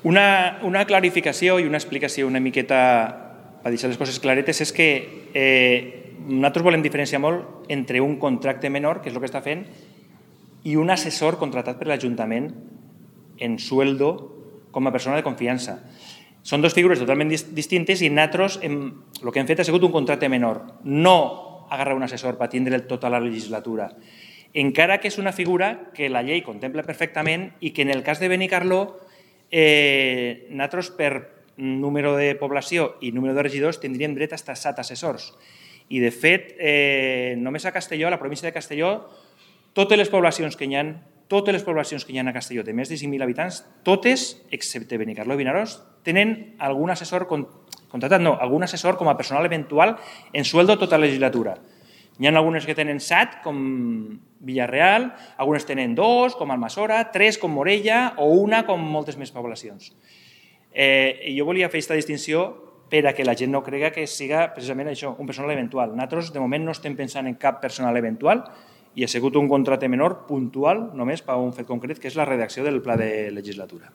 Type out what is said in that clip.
Una clarificació i una explicació una miqueta per deixar les coses claretes és que nosaltres volem diferenciar molt entre un contracte menor, que és el que està fent, i un assessor contratat per l'Ajuntament en sueldo com a persona de confiança. Són dues figures totalment distintes i nosaltres el que hem fet ha sigut un contracte menor, no agarrar un assessor per tindre tota la legislatura, encara que és una figura que la llei contempla perfectament i que en el cas de Benicarló nosaltres per número de població i número de regidors tindríem dret a 7 assessors. I de fet, només a Castelló, a la província de Castelló, totes les poblacions que hi ha a Castelló de més de 5.000 habitants, totes, excepte Benicarló i Vinaròs, tenen algun assessor contratat, no, algun assessor com a personal eventual en sueldo tota la legislatura. Hi ha algunes que tenen 7, com Villarreal, algunes tenen 2, com Almassora, 3, com Morella, o 1, com moltes més poblacions. Jo volia fer aquesta distinció per a que la gent no cregui que siga precisament això, un personal eventual. Nosaltres, de moment, no estem pensant en cap personal eventual i ha sigut un contracte menor puntual només per un fet concret, que és la redacció del pla de legislatura.